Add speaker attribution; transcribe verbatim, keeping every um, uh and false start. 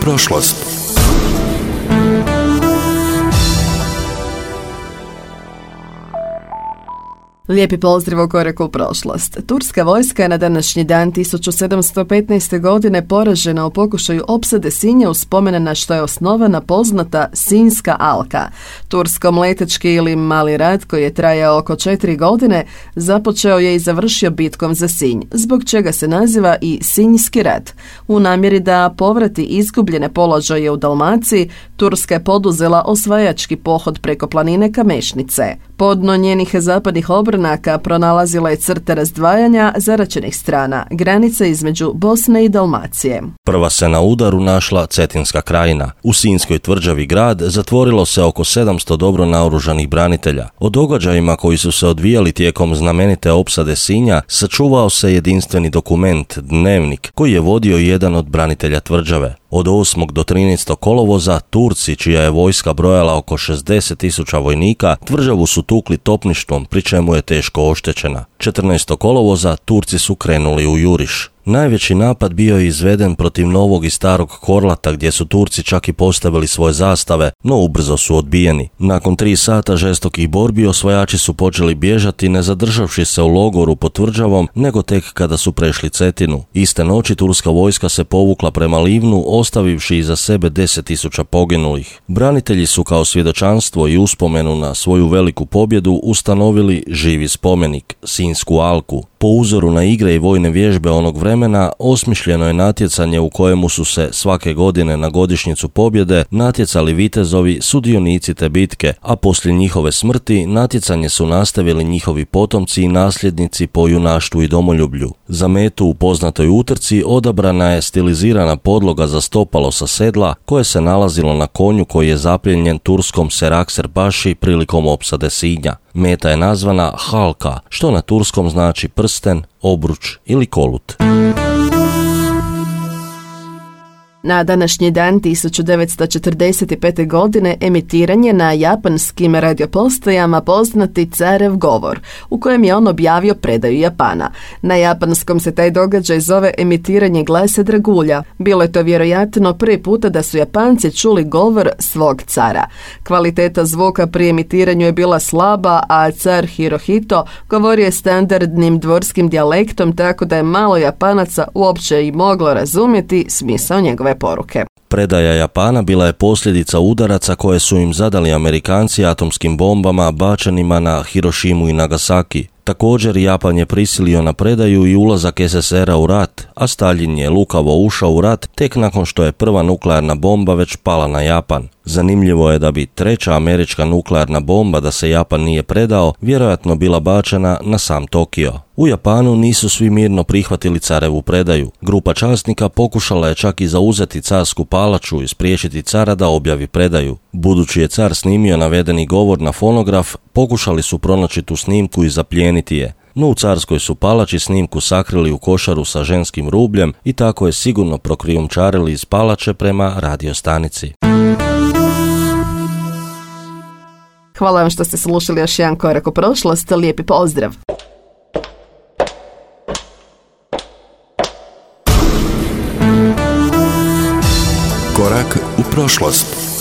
Speaker 1: prošlost.
Speaker 2: Lijepi pozdrav u koraku u prošlost. Turska vojska je na današnji dan tisuću sedamsto petnaeste. godine poražena u pokušaju opsade Sinja u spomen na što je osnovana poznata Sinjska alka. Tursko-mletečki ili mali rat koji je trajao oko četiri godine započeo je i završio bitkom za Sinj, zbog čega se naziva i Sinjski rat. U namjeri da povrati izgubljene položaje u Dalmaciji, Turska je poduzela osvajački pohod preko planine Kamešnice. Podno njenih zapadnih obranaka pronalazila je crta razdvajanja zaraćenih strana, granica između Bosne i Dalmacije.
Speaker 3: Prva se na udaru našla Cetinska krajina. U Sinjskoj tvrđavi grad zatvorilo se oko sedamsto dobro naoružanih branitelja. O događajima koji su se odvijali tijekom znamenite opsade Sinja sačuvao se jedinstveni dokument, dnevnik, koji je vodio jedan od branitelja tvrđave. Od osmog do trinaestog kolovoza Turci, čija je vojska brojala oko šezdeset tisuća vojnika, tvrđavu su tukli topništvom, pri čemu je teško oštećena. četrnaestog kolovoza Turci su krenuli u juriš. Najveći napad bio je izveden protiv Novog i Starog Korlata, gdje su Turci čak i postavili svoje zastave, no ubrzo su odbijeni. Nakon tri sata žestokih borbi osvajači su počeli bježati, ne zadržavši se u logoru pod tvrđavom, nego tek kada su prešli Cetinu. Iste noći turska vojska se povukla prema Livnu, ostavivši iza sebe deset tisuća poginulih. Branitelji su kao svjedočanstvo i uspomenu na svoju veliku pobjedu ustanovili živi spomenik, Sinjsku alku. Po uzoru na igre i vojne vježbe onog vremena osmišljeno je natjecanje u kojemu su se svake godine na godišnjicu pobjede natjecali vitezovi sudionici te bitke, a poslije njihove smrti natjecanje su nastavili njihovi potomci i nasljednici po junaštvu i domoljublju. Za metu u poznatoj utrci odabrana je stilizirana podloga za stopalo sa sedla koje se nalazilo na konju koji je zaplijenjen turskom Serakser Paši prilikom opsade Sinja. Meta je nazvana halka, što na turskom znači prsten, obruč ili kolut.
Speaker 2: Na današnji dan tisuću devetsto četrdeset pete. godine emitiran je na japanskim radiopostajama poznati Carev govor, u kojem je on objavio predaju Japana. Na japanskom se taj događaj zove emitiranje glasa dragulja. Bilo je to vjerojatno prvi puta da su Japanci čuli govor svog cara. Kvaliteta zvuka pri emitiranju je bila slaba, a car Hirohito govorio je standardnim dvorskim dijalektom, tako da je malo Japanaca uopće i moglo razumjeti smisao njegove poruke.
Speaker 3: Predaja Japana bila je posljedica udaraca koje su im zadali Amerikanci atomskim bombama bačenima na Hirošimu i Nagasaki. Također, Japan je prisilio na predaju i ulazak es es er a u rat, a Staljin je lukavo ušao u rat tek nakon što je prva nuklearna bomba već pala na Japan. Zanimljivo je da bi treća američka nuklearna bomba, da se Japan nije predao, vjerojatno bila bačena na sam Tokio. U Japanu nisu svi mirno prihvatili carevu predaju. Grupa časnika pokušala je čak i zauzeti carsku palaču i spriječiti cara da objavi predaju. Budući je car snimio navedeni govor na fonograf, pokušali su pronaći tu snimku i zaplijeniti je. No u carskoj su palači snimku sakrili u košaru sa ženskim rubljem i tako je sigurno prokrijumčarili iz palače prema radiostanici.
Speaker 2: Hvala vam što ste slušali još jedan korak u prošlost. Lijepi pozdrav!
Speaker 1: Korak u prošlost.